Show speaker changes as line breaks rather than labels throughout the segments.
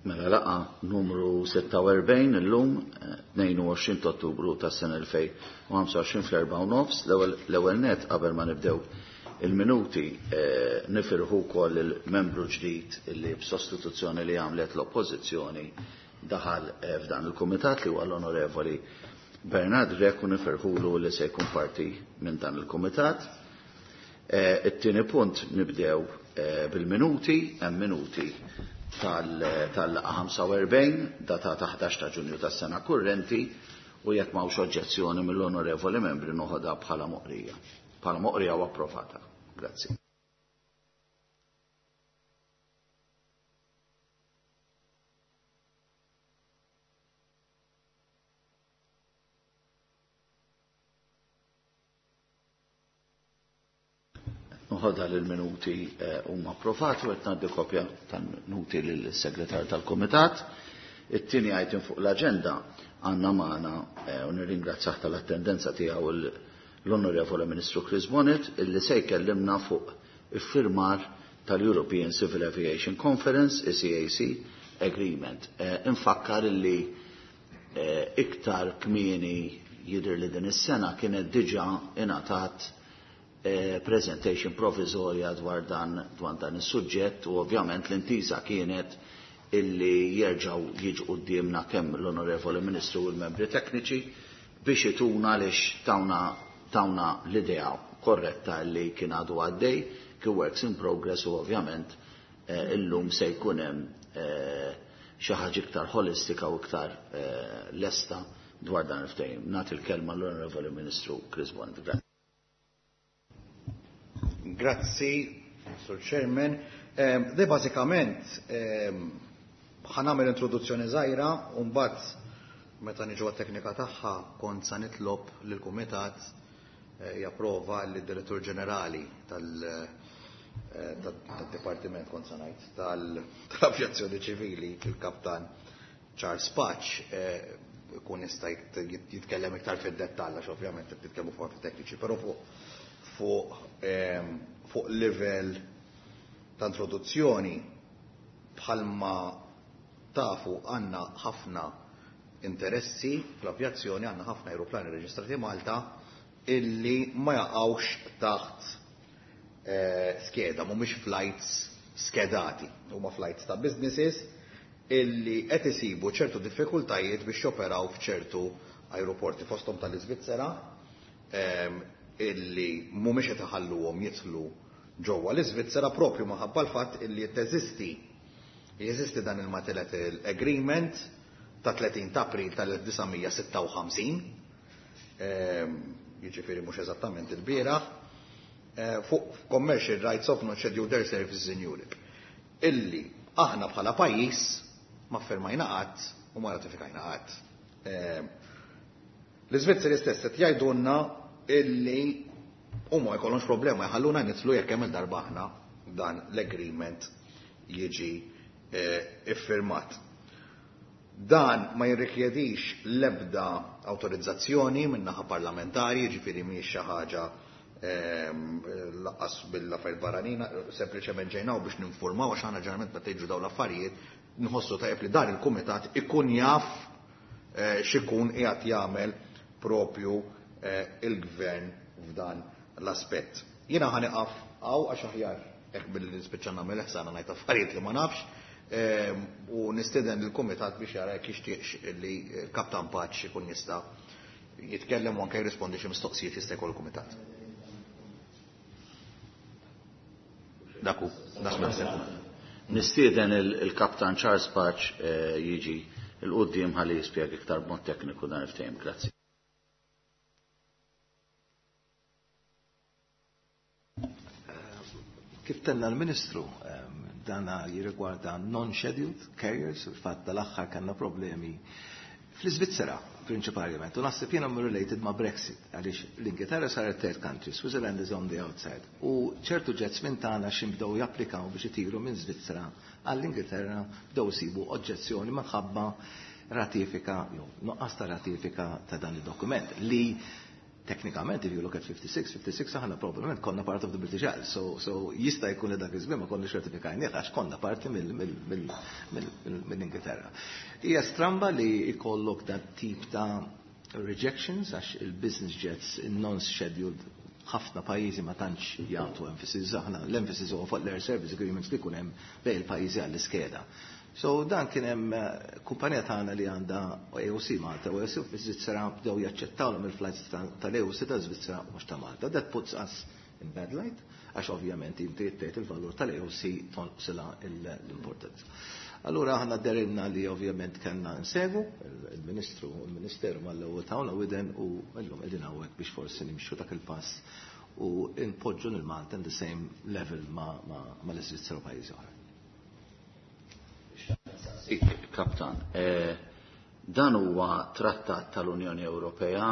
Mela laqgħa numru 46 illum 22 ta' Ottubru tas-sena 2025 fl-4:30. L-ewwel nett qabel ma nibdew il-minuti nifirħu wkoll il-membru ġdid li b'sostituzzjoni li għamlet l-Oppożizzjoni daħal f'dan il-kumitat li huwa l-Onorevoli Bernard Grech u nifirħulu li se jkun parti minn dan il-kumitat. It-tieni punt nibdew bil-minuti, hemm minuti tal-laqgħa 45 datata 11 ta' Ġunju tas-sena kurrenti u jekk m'hawnx oġġezzjoni mill-onorevoli membri noħodha bħala moqrija. Bħala moqrija u approvata. Grazzi. Noħodha li l-minuti huma approvati u qed ngħaddi kopja tal-minuti lill-segretar tal-Kumitat. It-tieni item fuq l-aġenda għandna magħna u nirringrazzjah tal-attendenza tiegħu l-Onorevoli Ministru Chris Bonett illi se jkellimna fuq iffirmar tal-European Civil Aviation Conference, ECAC, Agreement. Infakkar illi iktar kmieni jidher li din is-sena kienet diġà ingħatat presentation provvisorja dwar dan dwar dan is-suġġett u ovvjament l-intiża kienet illi jerġgħu jiġu quddiemna kemm l-Onorevoli Ministru u l-membri tekniċi biex ituna għaliex tawna tawna l-idea korretta li kien għadu għaddej, kien works in progress u ovvjament illum se jkun hemm xi ħaġa iktar ħolistika u iktar lesta dwar dan il-ftehim. Nagħti l-kelma l-Onorevoli Ministru Chris Bonett. Grazzi.
Grazzi, Sur Chairman. De bażikament ħa nagħmel introduzzjoni żgħira u mbagħad meta niġu għat-teknika tagħha kont sa nitlob lill-Kumitat japprova lid-Direttur Ġenerali tad-Dipartiment kont sa ngħid tal-Avjazzjoni Ċivili, il-Kaptan Charles Pace, ikun jista' jitkellem iktar fid-dettall għax ovvjament qed nitkellmu fuq tekniċi, però fuq livell ta' introduzzjoni bħalma tafu għandna ħafna interessi fl-avjazzjoni, għandna ħafna aeroplani reġistrati Malta illi ma jaqgħux taħt skeda, mhumiex flights skedati, huma flights ta' businesses illi qed isibu ċertu diffikultajiet biex joperaw f'ċertu aeroporti fosthom tal-Iżvizzera illi mhumiex qed iħalluhom jidħlu ġewwa l-Iżvizzera propju minħabba l-fatt illi teżisti jeżisti dan il-Multilateral Agreement ta' 30 ta' April tal-1956, jiġifieri mhux eżattament il-bieraħ, fuq Commercial Rights of Non-Scheduled Air Services in Europe, illi aħna bħala pajjiż ma ffirmajna qatt u ma ratifikajna qatt. L-Iżvizzeri stess qed jgħidulna illi huma ma jkollhomx problema jħalluna nidħlu jekk hemm il-darba aħna dan l-agreement jiġi iffirmat. Dan ma jirrikjedix l-ebda awtorizzazzjoni min-naħa parlamentari, jiġifieri mhijiex xi ħaġa laqqas bil-affarijiet barranin, sempliċement ġejnaw biex ninformaw għax aħna ġeneralment meta jiġu dawn l-affarijiet nħossu tajjeb li dan il-kumitat ikun jaf x'ikun qiegħed jagħmel propju il-gvern f'dan l-aspett. Jiena ħa nieqaf hawn għax aħjar hekk billi nispiċċa nagħmel ħsara ngħid affarijiet li ma nafx u nistieden lill-kumitat biex jara jekk jixtieqx li l-Kaptan Pace ikun jista' jitkellem u anke jirrispondi xi mistoqsijiet jista' jkollu l-kumitat. Daku, dak naħseb.
Nistieden il-Kaptan Charles Pace jiġi il-quddiem ħalli jispjega iktar b'mod tekniku dan il-ftehim. Grazzi.
Kif tenna l-Ministru, dana jirrigwarda non-scheduled carriers, il-fatt tal-aħħar kellna problemi fl-Iżvizzera prinċipalment, u naħseb jiena related ma' Brexit, għaliex l-Ingilterra saret third country, Switzerland is on the outside, u ċertu jets minn tagħna xi bdew japplikaw biex itiru minn Svizzera għall-Ingilterra bdew isibu oġġezzjoni minħabba ratifika, jew nuqqas ta' ratifika ta' dan id-dokument li Teknikament, if you look at 56, 56 aħna probablement konna part of the British Isles. So jista' jkun li dak iż-żmien ma konniex ratifikajnieh għax konna parti mill-Ingilterra. Hija stramba li jkollok dat tip ta' rejections għax il-business jets non-scheduled ħafna pajjiżi ma tantx jagħtu emphasis, aħna l-emphasis huwa fuq l-air service agreements li jkun hemm bejn il-pajjiżi għall-iskeda. So dan kien hemm kumpanija tagħna li għandha AOC Malta u AOC fi Svizzera bdew jaċċettawhom il-flights tal-AOC ta' Svizzera mhux ta' Malta. That puts us in bad light għax ovvjament inti tgħid il-valur tal-AOC tonqsilha l-importanza. Allura aħna derilna li ovvjament kellna nsegu il-Ministru u l-Ministeru mal-ewwel tawna widen u llum qegħdin hawnhekk biex forsi nimxu dak il-pass u npoġġu lil Malta in the same level ma l-Iżvizzera u pajjiżi oħra.
Kaptan, dan huwa trattat tal-Unjoni Ewropea,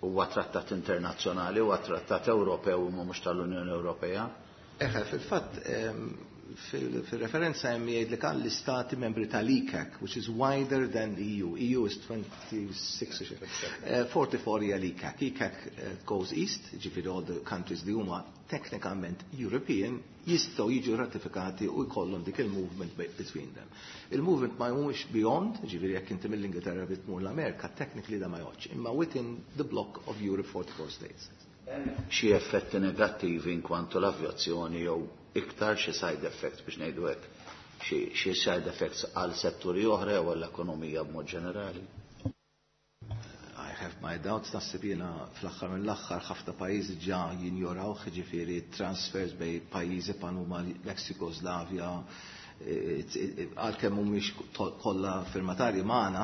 huwa trattat internazzjonali, huwa trattat Ewropew u mhux tal-Unjoni Ewropea?
Eħe, fil-fatt, fil-referenza hemm jgħid li kan l-istati membri tal-ICAC, which is wider than the EU. EU is 26, 44 hija l-ICAC. ICAC goes east, ġifieri all the countries li huma teknikament European jistgħu jiġu ratifikati u jkollhom dik il-movement between them. Il-movement ma jmurx beyond, ġifieri jekk inti mill-Ingilterra bit tmur l-Amerika, technically da ma jgħodx, imma within the block of Europe 44 states.
Xi effetti negattivi in kwantu l-avjazzjoni jew iktar xi side effects biex ngħidu hekk, xi side effects għal setturi oħra jew għall-ekonomija b'mod ġenerali?
I have my doubts, naħseb jiena fl-aħħar mill-aħħar ħafna pajjiżi ġa jinjoraw, ġifieri transfers bej pajjiżi bħal huma l-ex-Jugoslavja, għalkemm mhumiex kollha firmatarji magħna,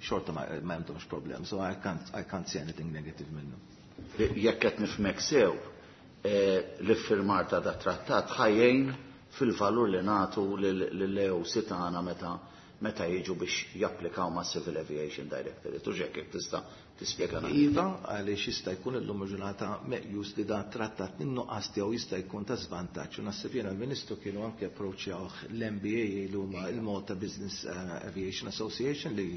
xorta ma għandhomx problem, so I can't see anything negative minnu.
Jekk qed nifhmek sew, l-iffirmar ta' da trattat ħajjejn fil-valur li nagħtu lill-AOC tagħna meta jiġu biex japplikaw ma' Civil Aviation Directorate. U ġek jekk tista' tispjega naqra.
Iva, għaliex jista' jkun illum il-ġurnata meqjus li dan trattat min-nuqqas tiegħu jista' jkun ta' żvantaġġ. U naħseb jiena l-Ministru kienu anke approċċjawh l-MBA li huma il-Malta Business Aviation Association li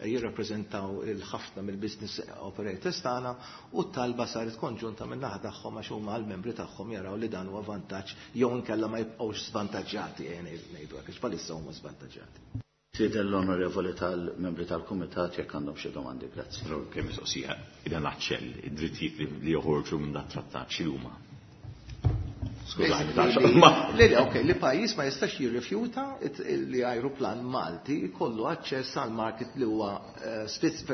jirrappreżentaw il-ħafna mill-business operators tagħna u t-talba saret konġunta min-naħa tagħhom għax huma l-membri tagħhom jaraw li dan huwa vantaġġ jew inkella ma jibqgħux żvantaġġjati, ngħidu hekk, għax bħalissa huma żvantaġġjati.
Sieden l-onorevoli tal-membri tal-Kumitat jekk għandhom xi domandi, grazzi.
Però kemm mistoqsija, ida naċċell id-drittijiet li joħorġu minn dat trattat x'huma? Skużani,
Le, le, ok, li pajjiż ma jistax jirrifjuta li ajruplan Malti jkollu aċċess għal market li huwa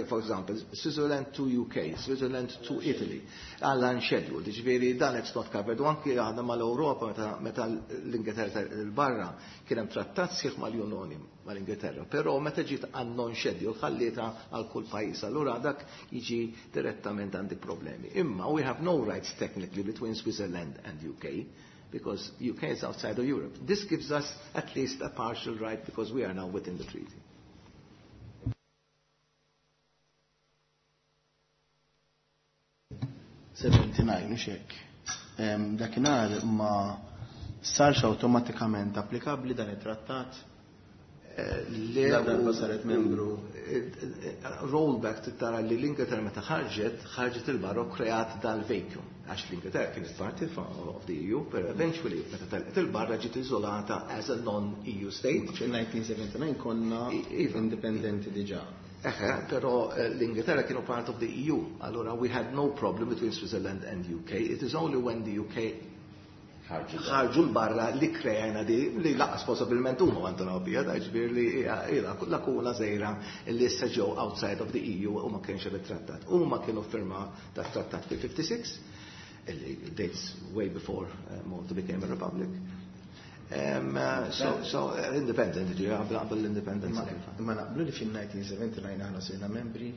for example, Switzerland to UK, Switzerland to Italy, għal unscheduled, ġifieri dan it's not covered. U anki aħna mal-Ewropa meta l-Ingilterra l-barra kien hemm trattat sieħ mal-Unjoni mal-Ingilterra, però meta ġiet għan non-scheduled ħallietha għal kull pajjiż, allura dak jiġi direttament għandi problemi. Imma we have no rights technically between Switzerland and UK, because UK is outside of Europe. This gives us at least a partial right because we are now within the treaty.
79, mhux hekk. Dakinhar ma sarx awtomatikament applikabbli dan it-trattat.
Le,
La darba
u
saret membru.
Rollback tara li l-Ingilterra meta ħarġet, ħarġet il-barra u kreat dal-vacuum. Għax l-Ingilterra kienet parti of the EU, pero eventually meta telqet il-barra ġiet iżolata as a non-EU state.
Fil-1979 konna
Iva.
indipendenti diġà.
Eħe, però l-Ingilterra kienu part of the EU. Allora we had no problem between Switzerland and UK. It is only when the UK ħarġu l-barra li krejna di li laqas possibilment huma għandhom bija, da ġifieri li hija lakuna żgħira li issa ġew outside of the EU u ma kienx hemm it-trattat. Huma kienu firma ta' trattat fil-56, illi dates way before Malta became a republic. So independent, ġi, qabel l-independence.
Ma naqblu li fil-1979 aħna sirna membri?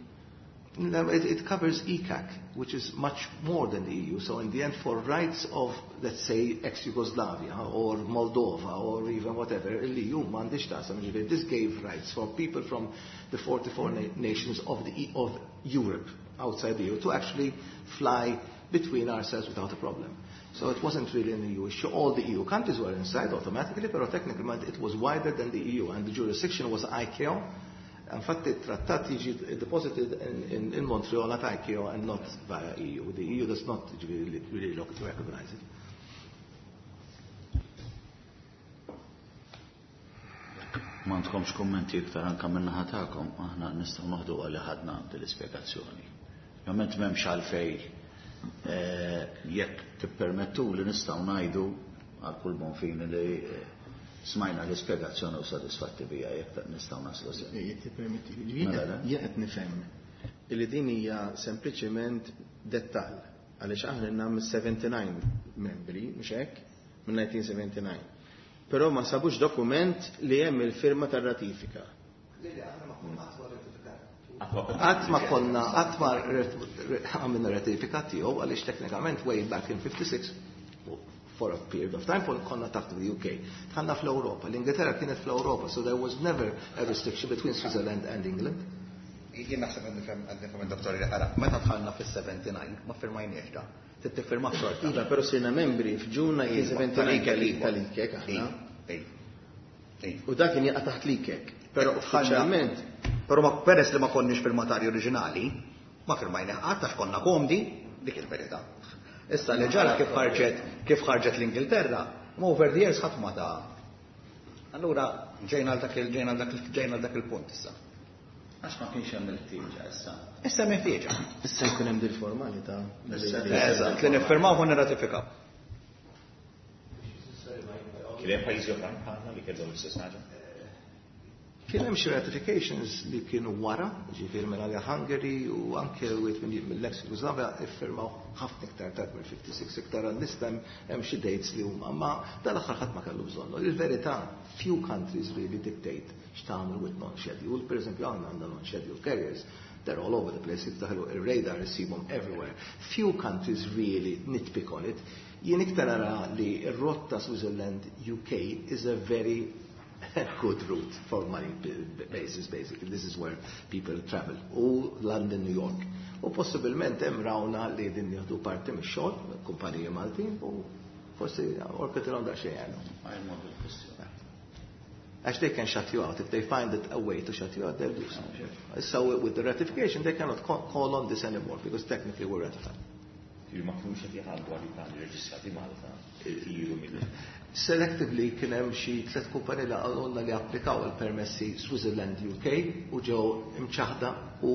No, it covers ECAC, which is much more than the EU. So in the end, for rights of, let's say, ex-Yugoslavia or Moldova or even whatever, l-EU m'għandix taqsam, ġifieri, this gave rights for people from the 44 nations of Europe, outside the EU, to actually fly between ourselves without a problem. So it wasn't really an EU issue. All the EU countries were inside automatically, but technically it was wider than the EU, and the jurisdiction was ICAO. Infatti trattat jiġi deposited in Montreal at ICAO and not via EU. The EU does not really, really look to recognize it.
M'għandkomx kummenti iktar anke min-naħa tagħkom, aħna nistgħu noħdu għalli ħadna din l-ispjegazzjoni. Ovvjament m'hemmx għalfej jekk tippermettu li nistgħu ngħidu għal kull bon fini li smajna l-ispjegazzjoni u sodisfatti bija jekk nistgħu naslu se.
Jekk tippermetti. Jien qed nifhem li din hija sempliċiment dettall għaliex aħna għandna 79 membri, mhux hekk, minn 1979. Però ma sabux dokument li hemm il-firma tar-ratifika.
Qatt ma konna, qatt ma għamilna ratifika tiegħu għaliex teknikament way back in 56 for a period of time konna taħt the UK. Dħalna fl-Europa. L-Ingilterra kienet fl-Europa, so there was never a restriction between Switzerland and England.
Jien naħseb għandi nifhem id-doktor li qara, meta dħalna fis-79 ma firmajniex da. Tiffirma xorta.
Iva, però sirna membri f'Ġun 1979 tal-ICAC aħna. U dak kien jaqa' taħt l-ICAC. Però uffiċjalment.
Però ma peress li ma konniex firmatari oriġinali, ma firmajna qatt għax konna komdi, dik il-verità. Issa li ġara kif ħarġet kif ħarġet l-Ingilterra, ma over the years ħadd ma ta' Allura ġejna għal dak ġejna dak ġejna dak il-punt issa.
Għax ma kienx hemm il-ħtieġa issa.
Issa hemm ħtieġa.
Issa jkun hemm dil-formalità.
Eżatt, li niffirmaw u nirratifikaw.
Kien hemm pajjiżi oħrajn bħalna li kellhom l-istess ħaġa?
Kien hemm xi ratifications li kienu wara, ġifieri minn għalja Hungary u anke wieħed mill-ex Jugoslavia iffirmaw ħafna iktar tard mill-56 iktar għal-lista hemm xi dates li huma, ma dal-aħħar ħadd ma kellu bżonnu. Il-verità, few countries really dictate x'tagħmel with non-scheduled. Per eżempju, għandna għandna non-scheduled carriers. They're all over the place. Jiftaħlu il-radar issibhom everywhere. Few countries really nitpick on it. Jien iktar nara li r-rotta Switzerland UK is a very good route for money basis, basically. This is where people travel. U London, New York. U possibilment hemm rawna li din jieħdu parti mix-xogħol, kumpaniji Maltin, u forsi orketilhom daqsxejn għandhom. Għax they can shut you out. If they find it a way to shut you out, they'll do so. So with the ratification, they cannot call on this anymore because technically we're ratified.
Ma kinux qed jħallu għal reġistrati Malta jtiru mill.
Selectively kien hemm xi tliet kumpaniji li qalulna li applikaw il-permessi Switzerland UK u ġew imċaħda u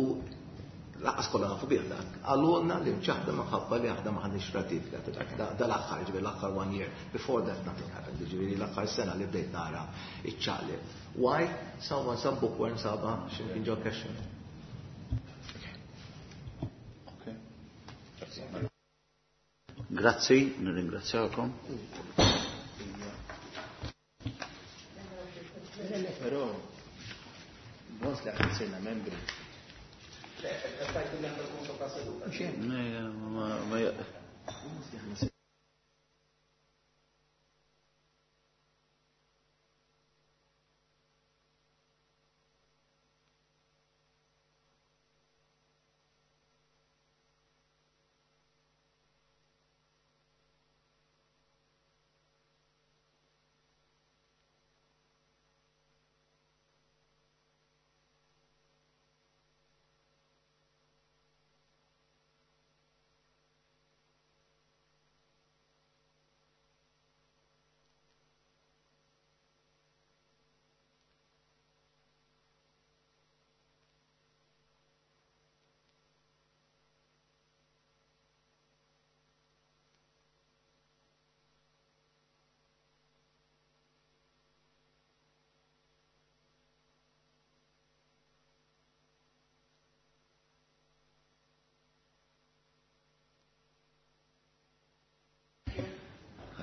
laqas kollha nafu bih dak. Qalulna li mċaħda minħabba li aħna ma ħadniex ratifika ta' dak. Dal-aħħar, ġifieri l-aħħar one year. Before that nothing happened, ġifieri l-aħħar sena li bdejt nara iċ-ċaqli. Why? Someone, some bookworm saba x'imkien ġo cash.
Grazzi, nirringrazzjakom.
Però, once li aħna sirna membri.
Ma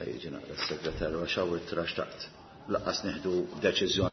Ħajġi naqra s-segretarju għax hawn it-trax taqt. Laqqas nieħdu deċiżjoni.